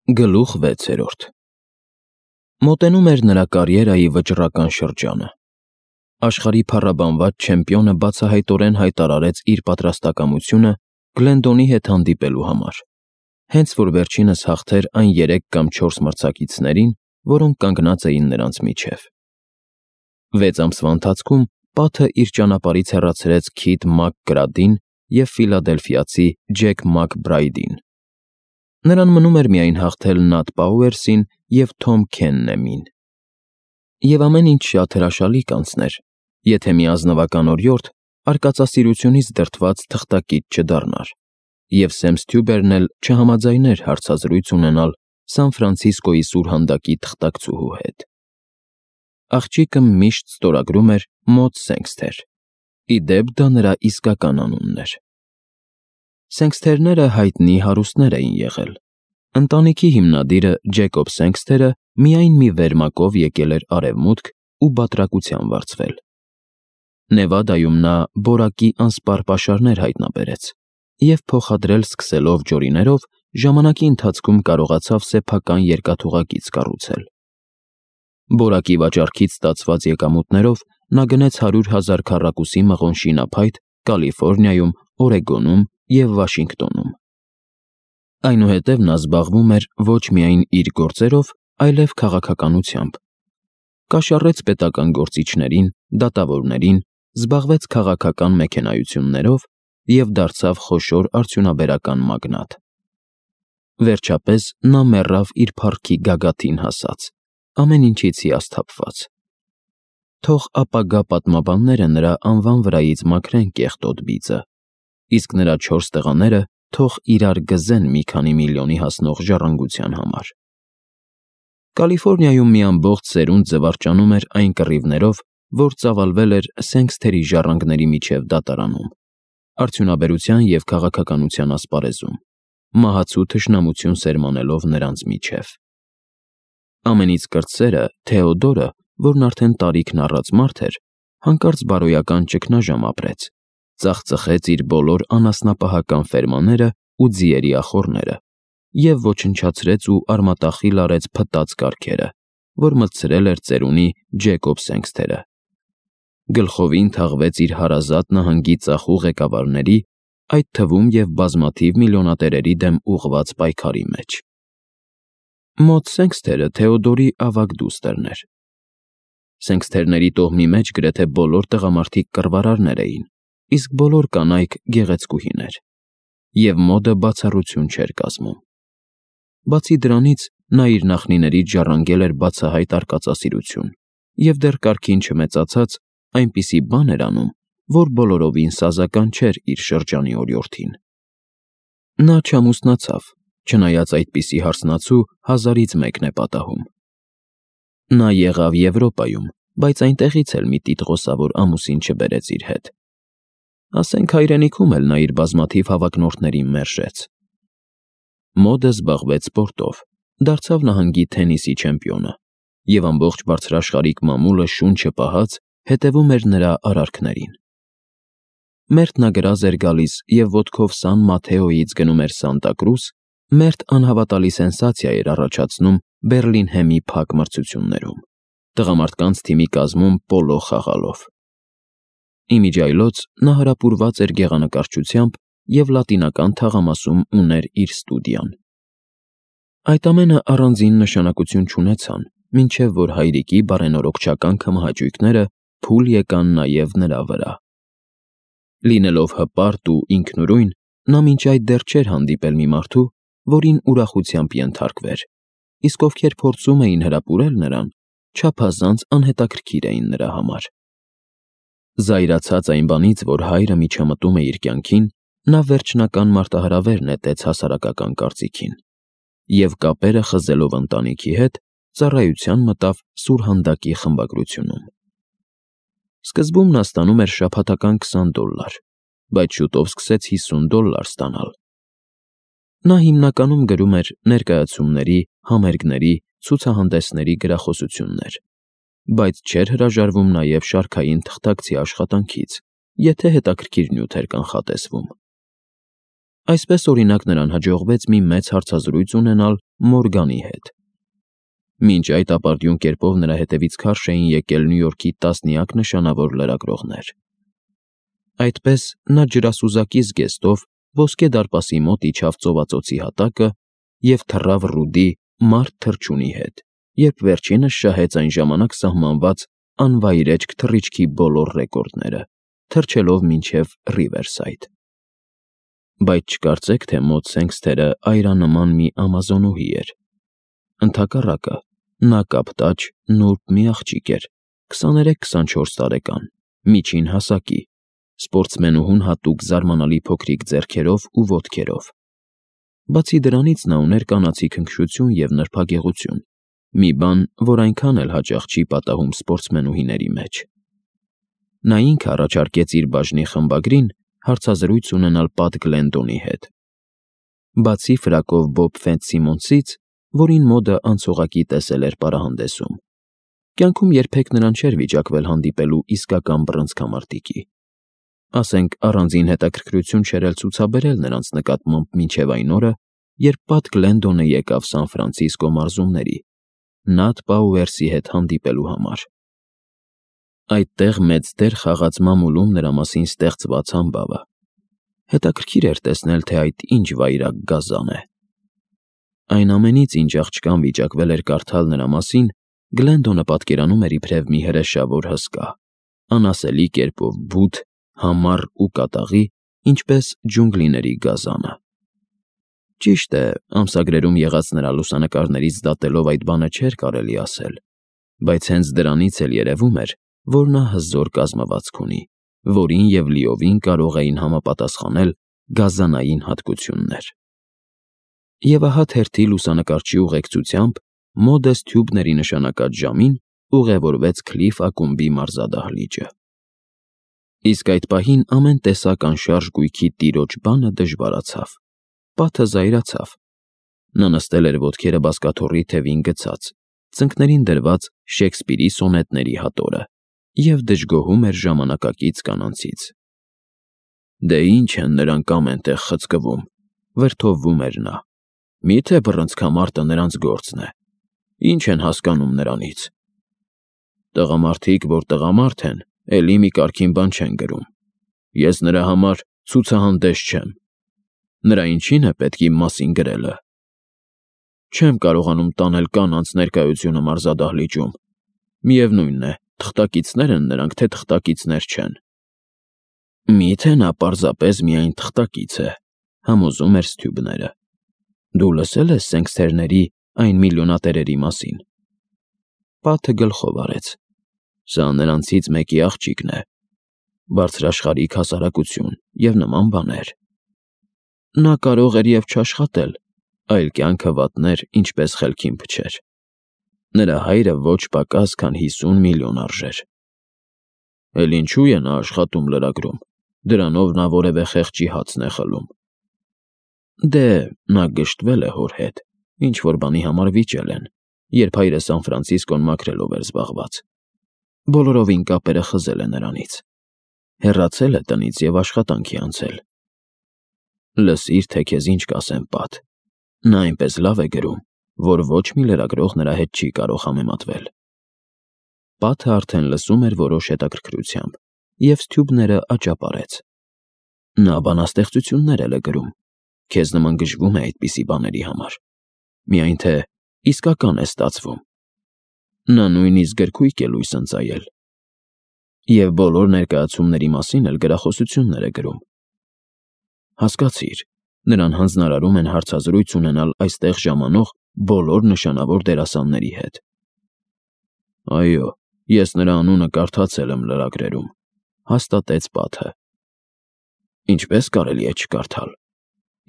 Գլուխ 6. Մոտենում էր նրա կարիերայի վճռական շրջանը։ Աշխարհի փառաբանված չեմպիոնը բացահայտորեն հայտարարեց իր պատրաստակամությունը Գլենդոնի հետ հանդիպելու համար, հենց որ վերջինս հաղթեր այն 3 կամ 4 մրցակիցներին, որոնք կանգնած էին նրանց միջև։ 6 ամսվա ընթացքում Պաթը իր ճանապարհից հեռացրեց Քիթ Մակգրադին և ֆիլադելֆիացի Ջեք Մակբրայդին։ Նրան մնում էր միայն հաղթել Նաթ Պաուերսին և Թոմ Քեննեմին։ Եվ ամեն ինչ շատ հրաշալի կանցներ, եթե մի ազնվական օրիորդ արկածասիրությունից դրդված թղթակից չդառնար, և Սեմ Սթյուբերն էլ չհամաձայներ հարցազրույց ունենալ Սան Ֆրանցիսկոյի սուրհանդակի թղթակցուհու հետ։ Աղջիկը միշտ ստորագրում էր Մոդ Սենքսթեր, ի դեպ դա նրա իսկական անունն էր։ Սենքսթերները հայտնի հարուստներ էին եղել։ Ընտանիքի հիմնադիրը Ջեկոբ Սենքսթերը միայն մի վերմակով եկել էր Արևմուտք ու բատրակության վարձվել։ Նևադայում նա բորակի անսպառ պաշարներ հայտնաբերեց և փոխադրել սկսելով ջորիներով, ժամանակի ընթացքում կարողացավ սեփական երկաթուղակից կառուցել։ Բորակի վաճառքից ստացված եկամուտներով նա գնեց 100,000 քառակուսի մղոն շինափայտ Կալիֆոռնիայում, Օրեգոնում և Վաշինգտոնում։ Այնուհետև նա զբաղվում էր ոչ միայն իր գործերով, այլև քաղաքականությամբ։ Կաշառեց պետական գործիչներին, դատավորներին, զբաղվեց քաղաքական մեքենայություններով և դարձավ խոշոր արդյունաբերական մագնատ։ Վերջապես նա մեռավ իր փառքի գագաթին հասած, ամեն ինչից հիասթափված։ Թող ապագա պատմաբանները նրա անվան վրայից մաքրեն կեղտոտ բիծը, իսկ նրա 4 տղաները թող իրար գզեն մի քանի միլիոնի հասնող ժառանգության համար։ Կալիֆոռնիայում մի ամբողջ սերունդ զվարճանում էր այն կռիվներով, որ ծավալվել էր Սենքսթերի ժառանգների միջև դատարանում, արդյունաբերության և քաղաքականության ասպարեզում, մահացու թշնամություն սերմանելով նրանց միջև։ Ամենից կրտսերը Թեոդորը, որն արդեն տարիքն առած մարդ էր, հանկարծ բարոյական ճգնաժամ ապրեց, ծախծխեց իր բոլոր անասնապահական ֆերմաները ու ձիերի ախոռները և ոչնչացրեց ու արմատախիլ արեց փտած կառքերը, որ մտցրել էր ծերունի Ջեկոբ Սենքսթերը։ Գլխովին թաղվեց իր հարազատ նահանգի ծախու ղեկավարների, այդ թվում և բազմաթիվ միլիոնատերերի դեմ ուղղված պայքարի մեջ։ Մոդ Սենքսթերը Թեոդորի ավագ դուստրն էր։ Սենքսթերների տոհմի մեջ գրեթե բոլոր տղամարդիկ կռվարարներ էին, իսկ բոլոր կանայք գեղեցկուհիներ, և Մոդը բացառություն չէր կազմում։ Բացի դրանից, նա իր նախնիներից ժառանգել էր բացահայտ արկածասիրություն և դեռ կարգին չմեծացած այնպիսի բան էր անում, որ բոլորովին սազական չէր իր շրջանի օրիորդին։ Նա չամուսնացավ, չնայած այդպիսի հարսնացու հազարից մեկն է պատահում։ Նա եղավ Եվրոպայում, բայց այնտեղից էլ մի տիտղոսավոր ամուսին չբերեց իր հետ։ Ասենք հայրենիքում էլ նա իր բազմաթիվ հավակնորդներին մերժեց։ Մոդը զբաղվեց սպորտով, դարձավ նահանգի թենիսի չեմպիոնը, և ամբողջ բարձրաշխարհիկ մամուլը շունչը պահած հետևում էր նրա արարքներին։ Մերթ նա գրազ էր գալիս և ոտքով Սան Մաթեոյից գնում էր Սանտա Կրուս, մերթ անհավատալի սենսացիա էր առաջացնում Բեռլինհեմի փակ մրցություններում, տղամարդկանց թիմի կազմում պոլո խաղալով։ Իմիջիայլոց նա հարապուրված էր գեղանկարչությամբ և լատինական թաղամասում ուներ իր ստուդիան։ Այդ ամենը առանձին նշանակություն չունեցան, մինչև որ հայրիկի բարենորոգչական քմահաճույքները փուլ եկան նաև նրա վրա։ Լինելով հպարտ ու ինքնուրույն, նա մինչ այդ դեռ չէր հանդիպել մի մարդու, որին ուրախությամբ ենթարկվեր, իսկ ովքեր փորձում էին հրապուրել նրան, չափազանց անհետաքրքիր էին նրա համար։ Զայրացած այն բանից, որ հայրը միջամտում է իր կյանքին, նա վերջնական մարտահրավեր նետեց հասարակական կարծիքին և կապերը խզելով ընտանիքի հետ, ծառայության մտավ սուրհանդակի խմբագրությունում։ Սկզբում նա ստանում էր շաբաթական $20, բայց շուտով սկսեց $50 ստանալ։ Նա հիմնականում գրում էր ներկայացումների, համերգների, ցուցահանդեսների գրախոսություններ, բայց չէր հրաժարվում նաև շարքային թղթակցի աշխատանքից, եթե հետաքրքիր նյութ էր կանխատեսվում։ Այսպես, օրինակ, նրան հաջողվեց մի մեծ հարցազրույց ունենալ Մորգանի հետ։ Մինչ այդ ապարդյուն կերպով նրա հետևից քարշ էին եկել Նյու Յորքի տասնյակ նշանավոր լրագրողներ։ Այդպես նա ջրասուզակի զգեստով ոսկե դարպասի մոտ իջավ ծովածոցի հատակը և թռավ Ռուդի «Մարդ թռչունի» հետ, երբ վերջինս շահեց այն ժամանակ սահմանված անվայրեջք թռիչքի բոլոր ռեկորդները, թռչելով մինչև Ռիվերսայդ։ Բայց չկարծեք, թե մոտ Սենքսթերը այրանման մի ամազոնուհի էր։ Ընդհակառակը, նա կապտաճ, նուրբ մի աղջիկ էր, 23-24 տարեկան, միջին հասակի, սպորտսմենուհուն հատուկ զարմանալի փոքրիկ ձեռքերով ու ոտքերով։ Բացի դրանից նա ուներ կանացի քնքշություն և նրբագեղություն, մի բան, որ այնքան էլ հաճախ չի պատահում սպորտսմենուհիների մեջ։ Նա ինքը առաջարկեց իր բաժնի խմբագրին հարցազրույց ունենալ Պատ Գլենդոնի հետ։ Բացի ֆրակով Բոբ Ֆիցսիմոնսից, որին մոդը անցողակի տեսել էր պարահանդեսում, կյանքում երբեք նրան չէր վիճակվել հանդիպելու իսկական բռնցքամարտիկի։ Ասենք, առանձին հետաքրքրություն չէր էլ ցուցաբերել նրանց նկատմամբ մինչև այն օրը, երբ Պատ Գլենդոնը եկավ Սան Ֆրանցիսկո մարզումների, Նաթ Պաուերսի հետ հանդիպելու համար։ Այդտեղ մեծ դեր խաղաց մամուլում նրա մասին ստեղծված համբավը։ Հետաքրքիր էր տեսնել, թե այդ ինչ վայրագ գազան է։ Այն ամենից, ինչ աղջկան վիճակվել էր կարդալ նրա մասին, Գլենդոնը պատկերանում էր իբրև մի հրեշավոր հսկա, անասելի կերպով բութ, համառ ու կատաղի, ինչպես ջունգլիների գազանը։ Ճիշտ է, ամսագրերում եղած նրա լուսանկարներից դատելով այդ բանը չէր կարելի ասել, բայց հենց դրանից էլ երևում էր, որ նա հզոր կազմվածք ունի, որին և լիովին կարող էին համապատասխանել գազանային հատկություններ։ Եվ ահա թերթի լուսանկարչի ուղեկցությամբ Մոդես Թյուբների նշանակած ժամին ուղևորվեց Քլիֆ ակումբի մարզադահլիճը։ Իսկ այդ պահին ամեն տեսակ անշարժ գույքի տիրոջ բանը դժվարացավ, Պաթը զայրացավ։ Նա նստել էր ոտքերը բազկաթոռի թևին գցած, ծնկներին դրված Շեքսպիրի սոնետների հատորը և դժգոհում էր ժամանակակից կանանցից։ Դե ինչ են նրանք ամեն տեղ խցկվում, վրդովվում էր նա։ Միթե բռնցքամարտը նրանց գործն է։ Ինչ են հասկանում նրանից։ Տղամարդիկ, որ տղամարդ են, էլի մի կարգին բան չեն գրում։ Ես նրա համար ցուցահանդես չեմ։ Նրա ինչին է պետք իմ մասին գրելը։ Չեմ կարողանում տանել կանանց ներկայությունը մարզադահլիճում։ Միևնույն է, թղթակիցներ են նրանք, թե թղթակիցներ չեն։ Միթե նա պարզապես միայն թղթակից է, համոզում էր Սթյուբները։ Դու լսել ես Սենքսթերների այն միլիոնատերերի մասին։ Պաթը գլխով արեց։ Սա նրանցից մեկի աղջիկն է։ Բարձրաշխարհիկ հասարակություն և նման բաներ։ Նա կարող էր և չաշխատել, այլ կյանքը վատներ, ինչպես խելքին փչեր։ Նրա հայրը ոչ պակաս, քան 50 միլիոն արժեր։ Էլ ինչու է նա աշխատում լրագրում, դրանով նա որևէ խեղճի հացն է խլում։ Դե, նա գժտվել է հոր հետ, ինչ-որ բանի համար վիճել են, երբ հայրը Սան Ֆրանցիսկոն մաքրելով էր զբաղված։ Բոլորովին կապերը խզել է նրանից։ Հեռացել է տնից և աշխատանքի անցել։ Լսիր, թե քեզ ինչ կասեմ, Պատ։ Նա այնպես լավ է գրում, որ ոչ մի լրագրող նրա հետ չի կարող համեմատվել։ Պաթը արդեն լսում էր որոշ հետաքրքրությամբ, և Սթյուբները աճապարեց։ Նա բանաստեղծություններ էլ է գրում։ Քեզ նման գժվում է այդպիսի բաների համար։ Միայն թե իսկական է ստացվում։ Նա նույնիսկ գրքույկ է լույս ընծայել։ Եվ բոլոր ներկայացումների մասին էլ գրախոսություններ է գրում։ Հասկացիր, նրան հանձնարարում են հարցազրույց ունենալ այստեղ ժամանող բոլոր նշանավոր դերասանների հետ։ Այո, ես նրա անունը կարդացել եմ լրագրերում, հաստատեց Պաթը։ Ինչպես կարելի է չկարդալ։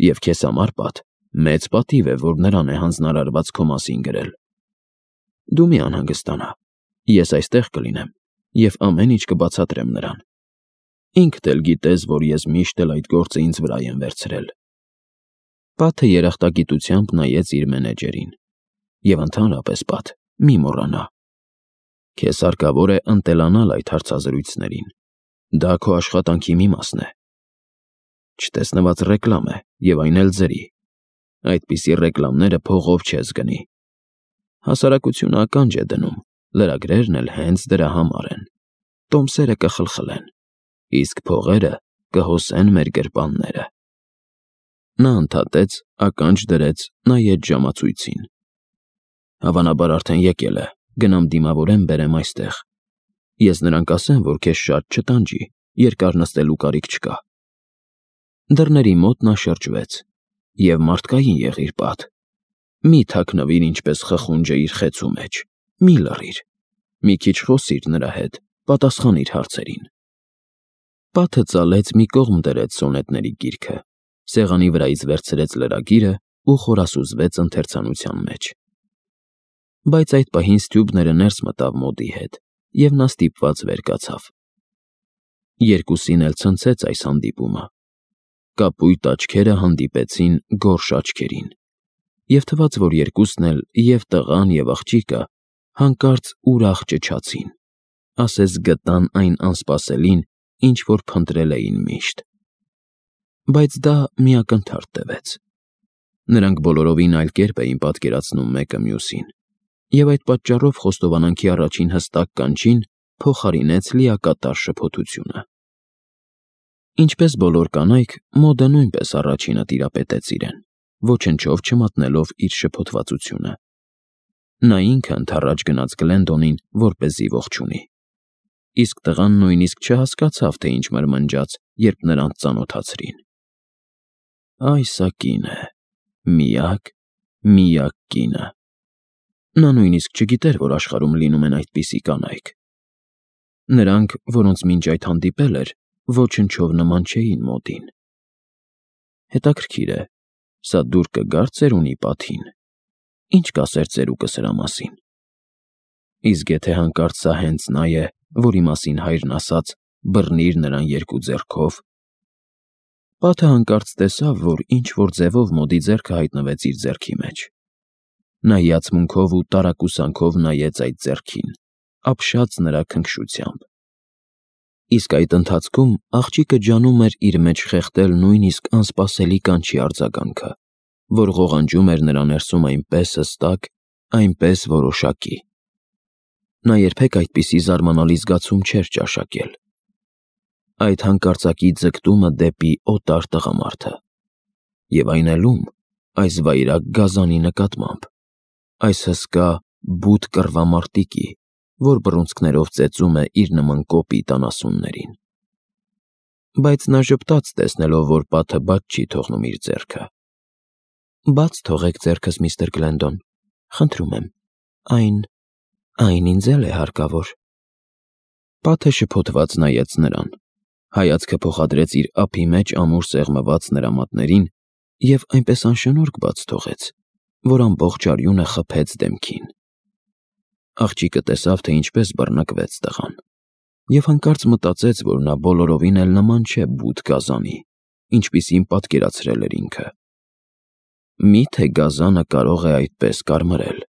Եվ քեզ համար, Պատ, մեծ պատիվ է, որ նրան է հանձնարարված քո մասին գրել։ Դու մի անհանգստանա, ես այստեղ կլինեմ և ամեն ինչ կբացատրեմ նրան։ Ինքդ էլ գիտես, որ ես միշտ էլ այդ գործը ինձ վրա եմ վերցրել։ Պաթը երախտագիտությամբ նայեց իր մենեջերին։ Եվ ընդհանրապես, Պատ, մի մոռանա։ Քեզ հարկավոր է ընտելանալ այդ հարցազրույցներին։ Դա քո աշխատանքի մի մասն է։ Չտեսնված ռեկլամ է, եւ այն էլ ձրի։ Այդպիսի ռեկլամները փողով չես գնի։ Հասարակությունը ականջ է դնում, լրագրերն էլ հենց դրա համար են։ Տոմսերը կխլխլեն, իսկ փողերը կհոսեն մեր գրպանները։ Նա ընդհատեց, ականջ դրեց, նայեց ժամացույցին։ Հավանաբար արդեն եկել է, գնամ դիմավորեմ բերեմ այստեղ։ Ես նրան կասեմ, որ քեզ շատ չտանջի, երկար նստելու կարիք չկա։ Դռների մոտ նա շրջվեց։ Եվ մարդկային եղիր պատ։ Մի թաքնվիր ինչպես խխունջը իր խեցու մեջ, մի լռիր, մի քիչ խոսիր նրա հետ, պատասխանիր հարցերին։ Պաթը ծալեց մի կողմ դրեց սոնետների գիրքը, սեղանի վրայից վերցրեց լրագիրը ու խորասուզվեց ընթերցանության մեջ։ Բայց այդ պահին Ստյուբները ներս մտավ մոդի հետ, և նա ստիպված վեր կացավ։ Երկուսին էլ ցնցեց այս հանդիպումը։ Կապույտ աչքերը հանդիպեցին գորշ աչքերին, և թվաց, որ երկուսն էլ, և տղան, և աղջիկը, հանկարծ ուրախ ճչացին, ասես գտան այն անսպասելին, ինչ որ փնտրել էին միշտ։ Բայց դա մի ակնթարթ տվեց։ Նրանք բոլորովին այլ կերպ էին պատկերացնում մեկը մյուսին, և այդ պատճառով խոստովանանքի առաջին հստակ կանչին փոխարինեց լիակատար շփոթությունը։ Ինչպես բոլոր կանայք, Մոդը նույնպես առաջինը տիրապետեց իրեն, ոչնչով չմատնելով իր շփոթվածությունը։ Նա ինքը ընդառաջ գնաց Գլենդոնին, որպեսզի ողջունի։ Իսկ տղան նույնիսկ չհասկացավ, թե ինչ մրմնջաց, երբ նրանց ծանոթացրին։ Այս ա կինը, միակ կինը։ Նա նույնիսկ չգիտեր, որ աշխարհում լինում են այդպիսի կանայք։ Նրանք, որոնց մինչ այդ հանդիպել էր, ոչնչով նման չէին Մոդին։ Հետաքրքիր է, սա դուր կգար ծերունի պաթին։ Ինչ կասեր ծերուկը սրա մասին։ Իսկ եթե հանկարծ սա հենց նա է, որի մասին հայրն ասաց բռնիր նրան երկու ձեռքով։ Պաթը հանկարծ տեսավ, որ ինչ-որ ձևով Մոդի ձեռքը հայտնվեց իր ձեռքի մեջ։ Նա հիացմունքով ու տարակուսանքով նայեց այդ ձեռքին, ապշած նրա քնքշությամբ։ Իսկ այդ ընթացքում աղջիկը ջանում էր իր մեջ խեղդել նույնիսկ անսպասելի կանչի արձագանքը, որ ղողանջում էր նրա ներսում այնպես հստակ, այնպես որոշակի։ Նա երբեք այդպիսի զարմանալի զգացում չէր ճաշակել։ Այդ հանկարծակի ձգտումը դեպի օտար տղամարդը։ Եվ այն էլ ում, այս վայրագ գազանի նկատմամբ, այս հսկա, բութ կռվամարտիկի, որ բռունցքներով ծեծում է իր նման կոպիտ անասուններին։ Բայց նա ժպտաց, տեսնելով, որ Պաթը բաց չի թողնում իր ձեռքը։ Բաց թողեք ձեռքս, միստր Գլենդոն, խնդրում եմ, այն ինձ էլ է հարկավոր։ Պաթը շփոթված նայեց նրան, հայացքը փոխադրեց իր ափի մեջ ամուր սեղմված նրա մատներին և այնպես անշնորհք բաց թողեց, որ ամբողջ արյունը խփեց դեմքին։ Աղջիկը տեսավ, թե ինչպես բռնկվեց տղան, և հանկարծ մտածեց, որ նա բոլորովին էլ նման չէ բութ գազանի, ինչպիսին պատկերացրել էր ինքը։ Միթե գազանը կարող է այդպես կարմրել,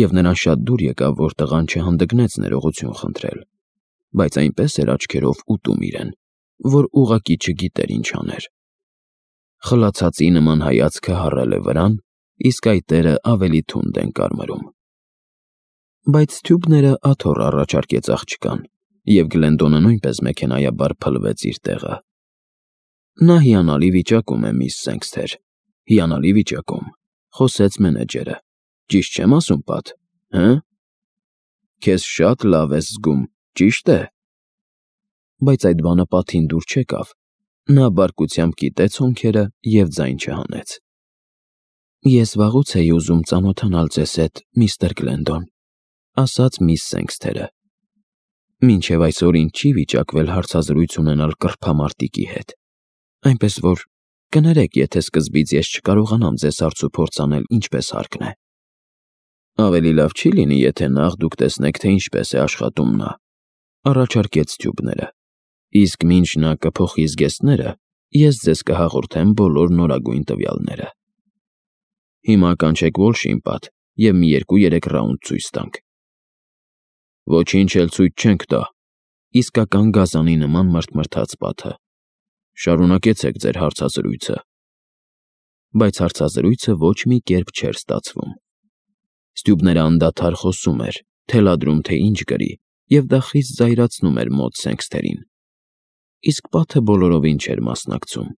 և նրան շատ դուր եկավ, որ տղան չհանդգնեց ներողություն խնդրել, բայց այնպես էր աչքերով ուտում իրեն, որ ուղղակի չգիտեր ինչ աներ։ Խլացածի նման հայացքը հառել է վրան, իսկ այտերը ավելի թունդ են կարմրում։ Բայց Ստյուբները աթոռ առաջարկեց աղջկան, և Գլենդոնը նույնպես մեքենայաբար փլվեց իր տեղը։ Նա հիանալի վիճակում է, միս Սենքսթեր, հիանալի վիճակում, խոսեց մենեջերը։ Ճիշտ չեմ ասում, Պաթ, հը՞։ Քեզ շատ լավ ես զգում, ճիշտ է։ Բայց այդ բանը Պաթին դուր չեկավ։ Նա բարկությամբ կիտեց հոնքերը և ձայն չհանեց։ Ես վաղուց էի ուզում ծանոթանալ ձեզ հետ, միստր Գլենդոն, ասաց միս Սենքսթերը։ Մինչև այսօր ինձ չի վիճակվել հարցազրույց ունենալ կռվամարտիկի հետ, այնպես որ կներեք, եթե սկզբից ես չկարողանամ ձեզ հարցուփորձ անել ինչպես հարկն է։ Ավելի լավ չի լինի, եթե նախ դուք տեսնեք, թե ինչպես է աշխատում նա, առաջարկեց Ստյուբները, իսկ մինչ նա կփոխի զգեստները, ես ձեզ կհաղորդեմ բոլոր նորագույն տվյալները։ Հիմա կանչեք Ուոլշին, Պաթ, և մի 2-3 ռաունդ ցույց տանք։ Ոչինչ էլ ցույց չենք տա, իսկական գազանի նման մռթմռթաց Պաթը։ Շարունակեցեք ձեր հարցազրույցը։ Բայց հարցազրույցը ոչ մի կերպ չէր ստացվում։ Ստյուբները անդադար խոսում էր, թելադրում, թե ինչ գրի, և դա խիստ զայրացնում էր մոտ Սենքսթերին։ Իսկ պատը բոլորովին չէր մասնակցում։